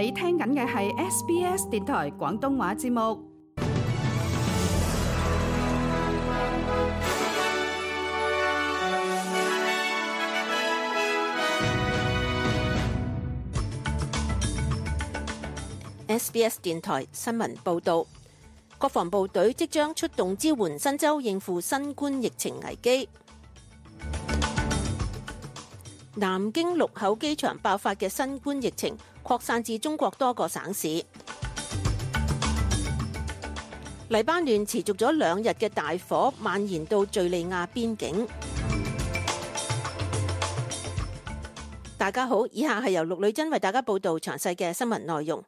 你聽緊嘅係 SBS 電台廣東話節目。SBS 電台新聞報道，國防部隊即將出動支援新州應付新冠疫情危機。南京祿口機場爆發嘅新冠疫情擴散至中國多個省市。黎巴嫩持續咗2日嘅大火蔓延到敘利亞邊境。大家好，以下係由陸女真為大家報道詳細嘅新聞內容。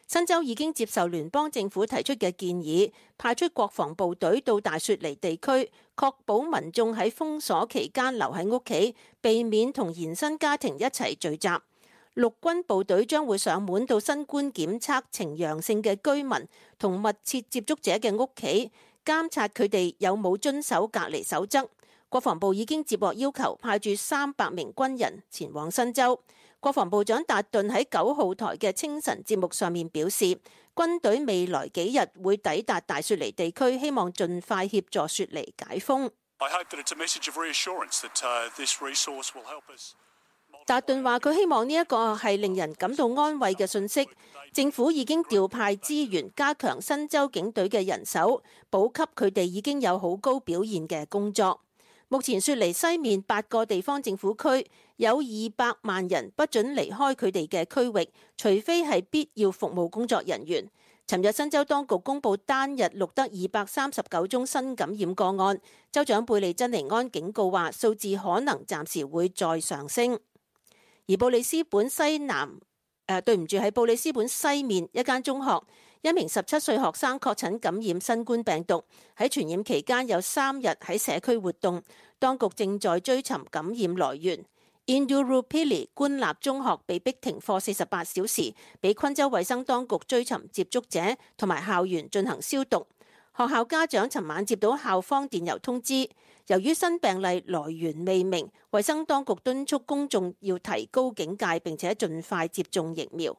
新州已經接受聯邦政府提出嘅建議，派出國防部隊到大雪梨地區，確保民眾喺封鎖期間留喺屋企，避免同延伸家庭一齊聚集。陸軍部隊將會上門到新冠檢測呈陽性嘅居民同密切接觸者嘅屋企，監察佢哋有冇遵守隔離守則。國防部已經接獲要求，派駐300名軍人前往新州。國防部長達頓喺9號台嘅清晨節目上面表示，軍隊未來幾日會抵達大雪梨地區，希望盡快協助雪梨解封。達頓話佢希望呢一個係令人感到安慰嘅信息。政府已經調派資源加強新州警隊嘅人手，補給佢哋已經有好高表現嘅工作。目前雪梨西面8個地方政府區有200萬人不准離開佢哋嘅區域，除非係必要服務工作人員。尋日新州當局公布單日錄得239宗新感染個案，州長貝利珍尼安警告話數字可能暫時會再上升。而布里斯本喺布里斯本西面一間中學，一名17歲學生確診感染新冠病毒，喺傳染期間有3日喺社區活動，當局正在追尋感染來源。Indooroopilly 官立中學被逼停課48小時，俾昆州衛生當局追尋接觸者同埋校園進行消毒。學校家長尋晚接到校方電郵通知，由於新病例來源未明，衛生當局敦促公眾要提高警戒，並且盡快接種疫苗。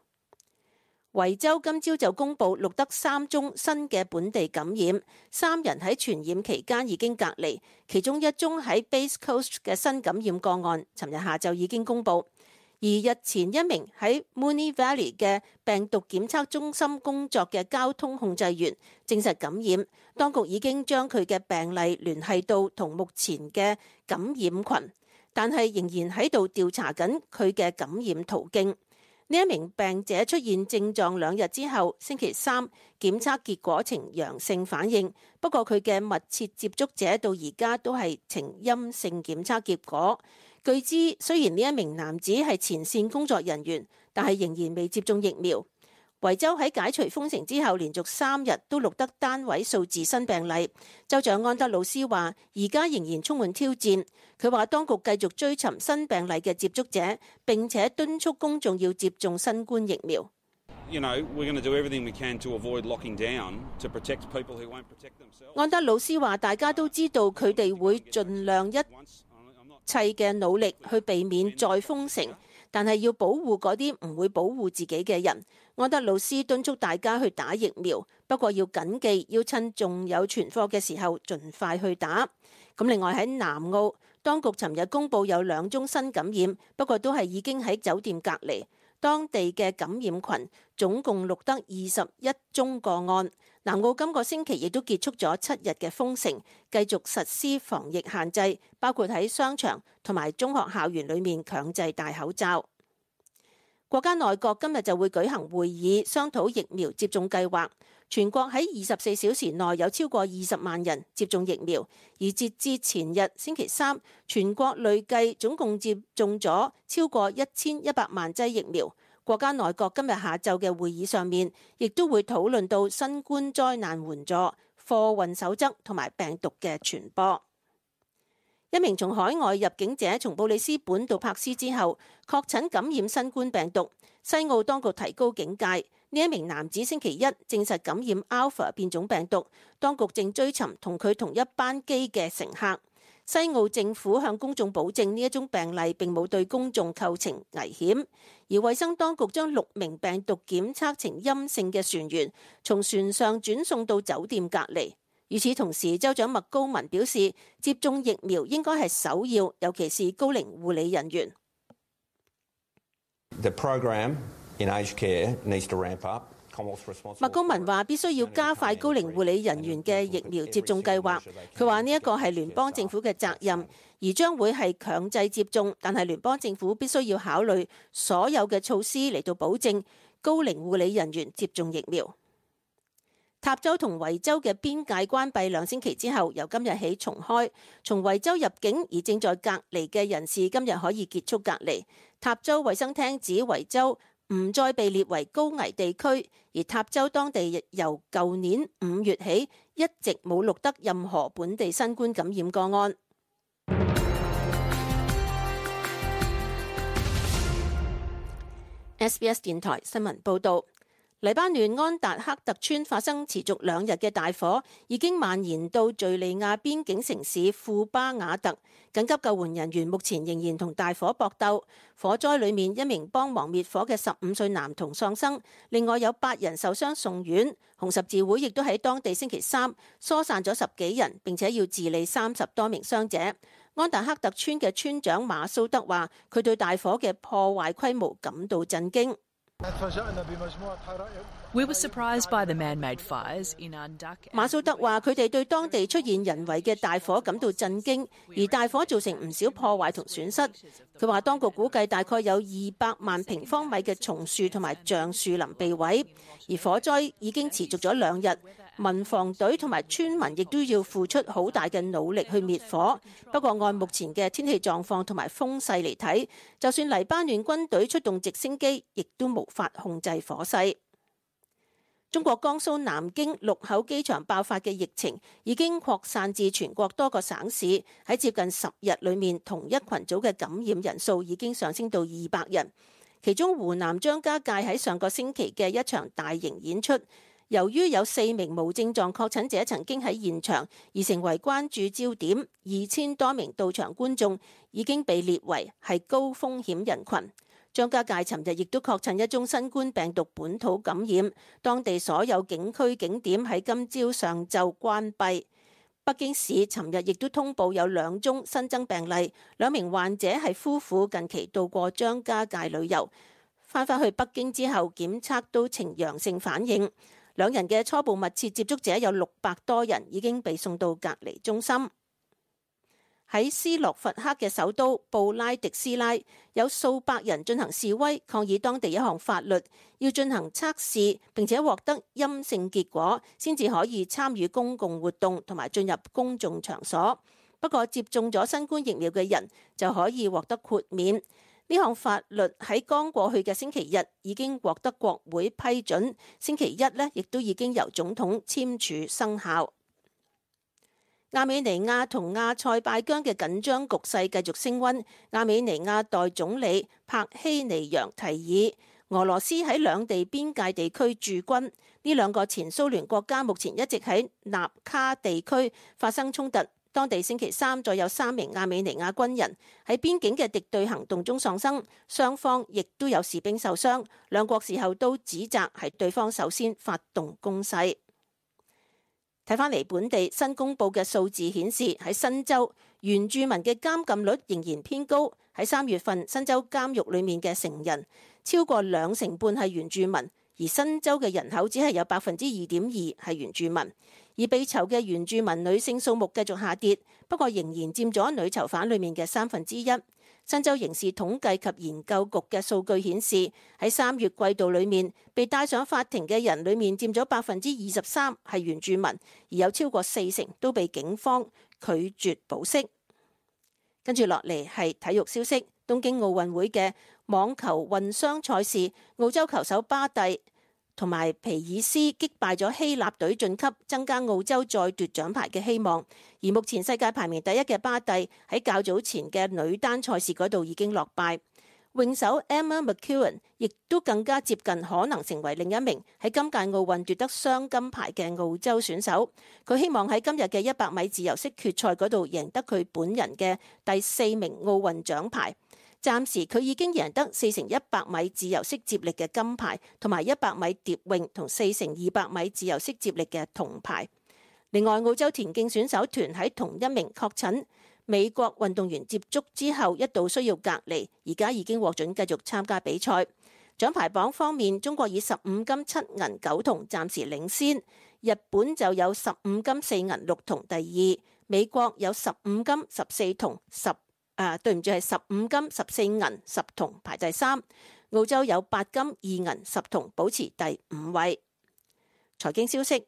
維州今朝就公布錄得3宗新嘅本地感染，3人喺傳染期間已經隔離，其中1宗喺 Bass Coast 嘅新感染個案，尋日下晝已經公布。而日前一名喺 Moonee Valley 嘅病毒檢測中心工作嘅交通控制員證實感染，當局已經將佢嘅病例聯繫到同目前嘅感染群，但係仍然喺度調查緊佢嘅感染途徑。呢一名病者出現症狀2日之後，星期3檢測結果呈陽性反應，不過佢嘅密切接觸者到而家都係呈陰性檢測結果。據知，雖然呢一名男子係前線工作人員，但係仍然未接種疫苗。維州喺解除封城之後，連續3日都錄得單位數字新病例。州長安德魯斯話：而家仍然充滿挑戰。佢話當局繼續追尋新病例嘅接觸者，並且敦促公眾要接種新冠疫苗。安德魯斯話：大家都知道佢哋會盡量一切嘅努力去避免再封城，但係要保護嗰啲唔會保護自己嘅人。安德魯斯敦促大家去打疫苗，不過要謹記要趁仲有存貨嘅時候盡快去打。咁另外喺南澳，當局尋日公布有2宗新感染，不過都係已經喺酒店隔離。當地嘅感染群總共錄得21宗個案。南澳今個星期亦都結束咗7日嘅封城，繼續實施防疫限制，包括喺商場同埋中學校園裏面強制戴口罩。國家內閣今日就會舉行會議，商討疫苗接種計劃。全國喺24小時內有超過20萬人接種疫苗，而截至前日星期3，全國累計總共接種咗超過1100萬劑疫苗。國家內閣今日下晝嘅會議上面，亦都會討論到新冠災難援助、貨運守則同埋病毒嘅傳播。一名從海外入境者從布里斯本到柏斯之後，確診感染新冠病毒。西澳當局提高警戒，呢一名男子星期1證實感染 Alpha 變種病毒，當局正追尋同佢同一班機嘅乘客。西澳政府向公眾保證呢一宗病例並冇對公眾構成危險，而衛生當局將6名病毒檢測呈陰性嘅船員從船上轉送到酒店隔離。與此同時，州長麥高文表示，接種疫苗應該係首要，尤其是高齡護理人員。The program in aged care needs to ramp up. 麥高文話：必須要加快高齡護理人員嘅疫苗接種計劃。佢話呢一個係聯邦政府嘅責任，而將會係強制接種，但係聯邦政府必須要考慮所有嘅措施嚟到保證高齡護理人員接種疫苗。塔州同維州嘅邊界關閉2星期之後，由今日起重開。從維州入境而正在隔離嘅人士今日可以結束隔離。塔州衛生廳指維州唔再被列為高危地區，而塔州當地由舊年5月起一直冇錄得任何本地新冠感染個案。SBS 電台新聞報導。黎巴嫩安達克特村發生持續2日嘅大火，已經蔓延到敘利亞邊境城市庫巴瓦特。緊急救援人員目前仍然同大火搏鬥。火災裏面1名幫忙滅火嘅15歲男童喪生，另外有8人受傷送院。紅十字會亦都喺當地星期3疏散咗10幾人，並且要治理30多名傷者。安達克特村嘅村長馬蘇德話：佢對大火嘅破壞規模感到震驚。馬蘇德話：佢哋對當地出現人為嘅大火感到震驚，而大火造成唔少破壞同損失。佢話當局估計大概有200萬平方米嘅松樹同埋橡樹林被毀，而火災已經持續咗2日。民防隊同埋村民亦都要付出好大嘅努力去滅火。不過按目前嘅天氣狀況同埋風勢嚟睇，就算黎巴嫩軍隊出動直升機，亦都無法控制火勢。中國江蘇南京祿口機場爆發嘅疫情已經擴散至全國多個省市，喺接近10日裏面，同一群組嘅感染人數已經上升到200人。其中湖南張家界喺上個星期嘅一場大型演出，由於有4名無症狀確診者曾經喺現場而成為關注焦點，2000多名到場觀眾已經被列為係高風險人群。張家界尋日亦都確診一宗新冠病毒本土感染，當地所有景區景點喺今朝上晝關閉。北京市尋日亦都通報有2宗新增病例，2名患者係夫婦，近期到過張家界旅遊，返去北京之後檢測都呈陽性反應。2人嘅初步密切接觸者有600多人，已經被送到隔離中心。喺斯洛伐克嘅首都布拉迪斯拉，有數百人進行示威，抗議當地一項法律，要進行測試並且獲得陰性結果，先至可以參與公共活動同埋進入公眾場所。不過接種咗新冠疫苗嘅人就可以獲得豁免。呢項法律喺剛過去嘅星期日已經獲得國會批准，星期一呢亦都已經由總統簽署生效。亞美尼亞同亞塞拜疆嘅緊張局勢繼續升溫。亞美尼亞代總理帕希尼揚提議俄羅斯喺兩地邊界地區駐軍。呢2個前蘇聯國家目前一直喺納卡地區發生衝突。當地星期3再有3名亞美尼亞軍人喺邊境嘅敵對行動中喪生，雙方亦都有士兵受傷。兩國事後都指責係對方首先發動攻勢。睇返嚟本地新公佈嘅數字顯示，喺新州原住民嘅監禁率仍然偏高。喺3月份，新州監獄裡面嘅成人超過2成半係原住民，而新州嘅人口只係有2.2%係原住民。而被囚嘅原住民女性數目繼續下跌，不過仍然佔咗女囚犯裡面嘅1/3。新州刑事統計及研究局嘅數據顯示，喺3月季度裡面被帶上法庭嘅人裡面佔咗23%係原住民，而有超過4成都被警方拒絕保釋。跟住落嚟係體育消息，東京奧運會嘅網球混雙賽事，澳洲球手巴蒂同埋皮爾斯擊敗咗希臘隊晉級，增加澳洲再奪獎牌嘅希望。而目前世界排名第1嘅巴蒂喺較早前嘅女單賽事嗰度已經落敗。泳手 Emma McEwen 亦都更加接近可能成為另一名喺今屆奧運奪得雙金牌嘅澳洲選手。佢希望喺今日嘅100米自由式決賽嗰度贏得佢本人嘅第4名奧運獎牌。暫時佢已經贏得4x100米自由式接力嘅金牌，同埋100米蝶泳同4x200米自由式接力嘅銅牌。另外，澳洲田徑選手團喺同一名確診美國運動員接觸之後一度需要隔離，而家已經獲准繼續參加比賽。獎牌榜方面，中國以15金7銀9銅暫時領先，日本就有15金4銀6銅第二，美國有15金14銅係15金14銀10銅排第三，澳洲有8金2銀10銅保持第5位。財經消息。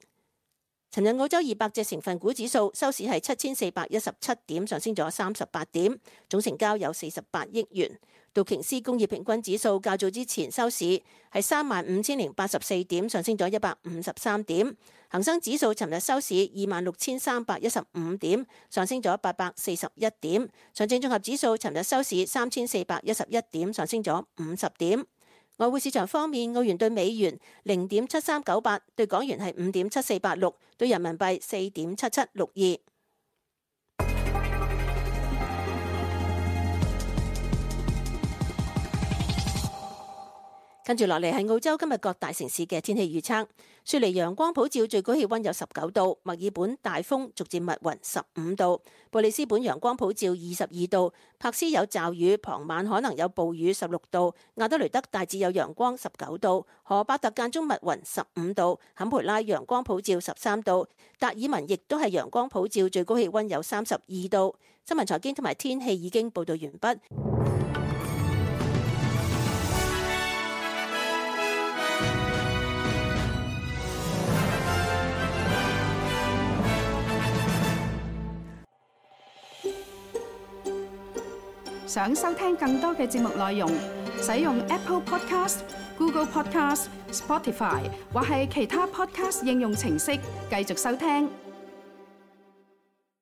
尋日澳洲200隻成分股指數收市係7417點，上升咗38點，總成交有48億元。道瓊斯工業平均指數較早之前收市係35084點，上升咗153點。恒生指數尋日收市26315點，上升咗841點。上證綜合指數尋日收市3411點，上升咗50點。外匯市場方面，澳元對美元0.7398，對港元係5.7486，對人民幣4.7762。跟住落嚟係澳洲今日各大城市嘅天氣預測。雪梨陽光普照，最高氣溫有19度；墨爾本大風，逐漸密雲15度；布里斯本陽光普照22度；柏斯有驟雨，傍晚可能有暴雨16度；亞德雷德大致有陽光19度；荷伯特間中密雲15度；坎培拉陽光普照13度；達爾文亦都係陽光普照，最高氣溫有32度。新聞財經同埋天氣已經報道完畢。想收聽更多嘅節目內容，使用 Apple Podcast、Google Podcast、Spotify 或係其他 Podcast 應用程式繼續收聽。